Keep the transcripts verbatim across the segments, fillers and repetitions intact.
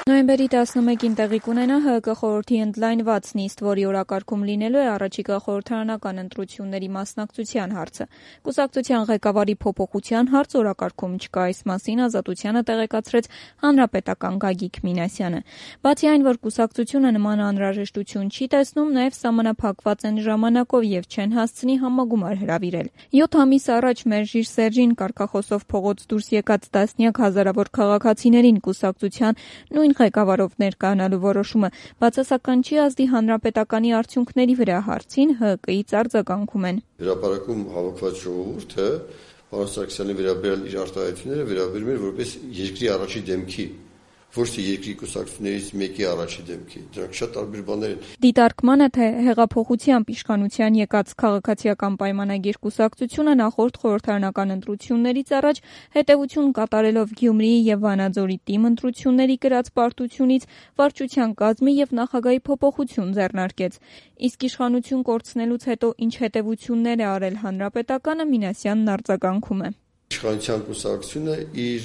Նոյեմբերի տասնմեկին տեղի կունենա Հ Կ խորհրդի ընդլայնված նիստ, որի օրակարգում լինելու է առաջիկա խորհրդարանական ընտրությունների մասնակցության հարցը։ Կուսակցության ղեկավարի փոփոխության հարց օրակարգում չկա, այս մասին Ազատությանը տեղեկացրեց հանրապետական Գագիկ Մինասյանը։ Բացի այն, որ կուսակցությունը նման անհրաժեշտություն չի տեսնում, նաև սահմանափակված են ժամանակով եւ չեն հասցնի համագումար հրավիրել։ Յոթ ամիս առաջ Մերժիր Սերժին կարգախոսով փողոց դուրս եկած տասնյակ հազարավոր քաղաքացիներին կուսակցության նույն ղեկավարով ներկայանալու որոշումը բացասական չի ազդի հանրապետականի արդյունքների վրա, հարցին Հ Կ-ից արձագանքում են։ Հրապարակում հավաքված ժողովուրդը պարոն Սարգսյանի վերաբերյալ իր արտահայտությունները վերաբերում էր որպես երկրի առաջի դեմքի, ոչ թե երկրի կուսակցություններից մեկի առաջի դեմքի, դրանք շատ տարբեր բաներ են։ Դիտարկմանը, թե հեղափոխությամբ իշխանության եկած քաղաքացիական պայմանագիր կուսակցությունը նախորդ խորհրդարանական ընտրություններից առաջ հետևություն կատարելով Գյումրիի եւ Վանաձորի թիմ ընտրությունների կրած պարտությունից վարչության կազմի եւ նախագահի փոփոխություն ձեռնարկեց։ Իսկ իշխանություն կորցնելուց հետո ինչ հետևություններ է արել հանրապետականը, Մինասյանն արձագանքում է։ Իշխանության կուսակցությունը իր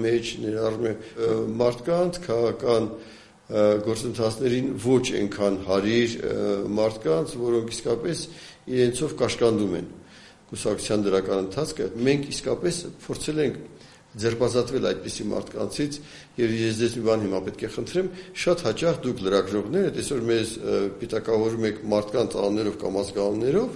մեջ ներառում է մարդկանց, քաղաքական գործընթացներին ոչ այնքան հարիր մարդկանց, որոնք իսկապես իրենցով կաշկանդում են կուսակցության դրական ընթացքը։ Մենք իսկապես փորձել ենք ձերբազատվել այդպիսի մարդկանցից եւ ես ձեզ մի բան հիմա պետք է խնդրեմ, շատ հաճախ դուք լրագրողները այսօր մեզ պիտակավորում եք մարդկանց անուններով կամ ազգանուններով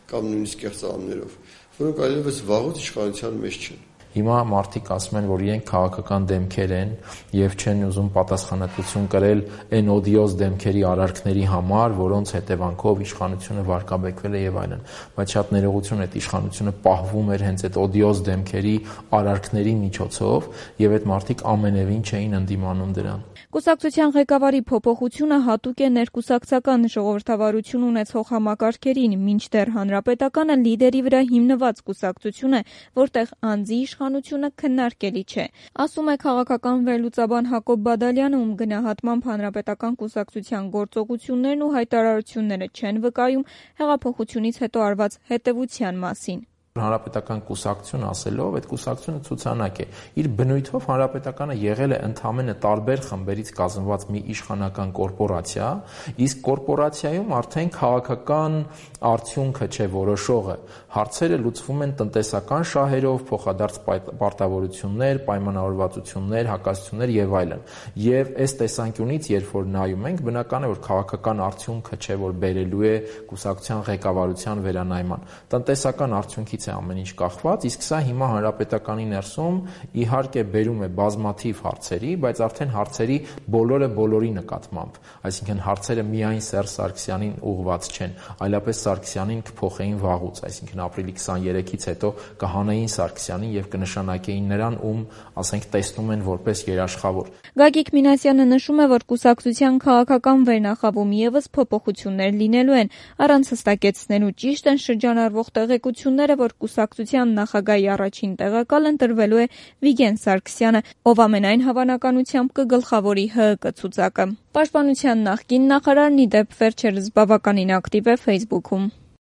կամ նույնիսկ կեղծ անուններով, որոնք այլևս վաղուց իշխանության մեջ չեն։ Հիմա մարդիկ ասում են, որ իրենք քաղաքական դեմքեր են եւ չեն ուզում պատասխանատվություն կրել այն օդիոզ դեմքերի արարքների համար, որոնց հետևանքով իշխանությունը վարկաբեկվել է եւ այլն։ Բայց շատ ներողություն, այդ իշխանությունը պահվում էր հենց այդ օդիոզ դեմքերի արարքների միջոցով եւ այդ մարդիկ ամենևին չէին ընդդիմանում դրան։ Կուսակցության ղեկավարի փոփոխությունը հատուկ է ներկուսակցական ժողովրդավարություն ունեցող համակարգերին, մինչդեռ հանրապետականը լիդերի վրա հիմնված կուսակցություն է, որտեղ անձի իշխանությունը քննարկելի չէ, ասում է քաղաքական վերլուծաբան Հակոբ Բադալյանը, ում գնահատմամբ հանրապետական կուսակցության գործողություններն ու հայտարարությունները չեն վկայում հեղափոխությունից հետո արված հետևության մասին։ Հանրապետական կուսակցություն ասելով, այդ կուսակցությունը ցուցանակ է։ Իր բնույթով հանրապետականը եղել է ընդհանրապես տարբեր խմբերից կազմված մի իշխանական կորպորացիա, իսկ կորպորացիայում արդեն քաղաքական արդյունքը չէ որոշողը։ Հարցերը լուծվում են տնտեսական շահերով, փոխադարձ պարտավորություններ, պայմանավորվածություններ, հակասություններ եւ այլն։ Եվ այս տեսանկյունից, երբ որ նայում ենք, բնական է, որ քաղաքական արդյունքը չէ, որ բերելու է կուսակցության ղեկավարության վերանայման։ Տնտեսական արդյունքից է ամեն ինչ կախված, իսկ սա հիմա հանրապետականի ներսում իհարկե բերում է բազմաթիվ հարցերի, բայց արդեն հարցերի բոլորը բոլորի նկատմամբ, այսինքն հարցերը միայն Սերժ Սարգսյանին ուղղված չեն, այլապես Սարգսյանին կփոխեին վաղուց, այսինքն ապրիլի քսաներեքից հետո կհանեին Սարգսյանին եւ կնշանակեին նրան, ում, ասենք, տեսնում են որպես երաշխավոր։ Գագիկ Մինասյանը նշում է, որ կուսակցության քաղաքական վերնախավում եւս փոփոխություններ լինելու են, առանց հստակեցնելու ճիշտ են շրջանառվող տեղեկությունները, որ կուսակցության նախագահի առաջին տեղակալ ընտրվելու է Վիգեն Սարգսյանը, ով ամենայն հավանականությամբ կգլխավորի Հ Կ ցուցակը։ Պաշտպանության նախկին նախարարն ի դեպ վերջերս բավականին ակտիվ է Facebook-ում։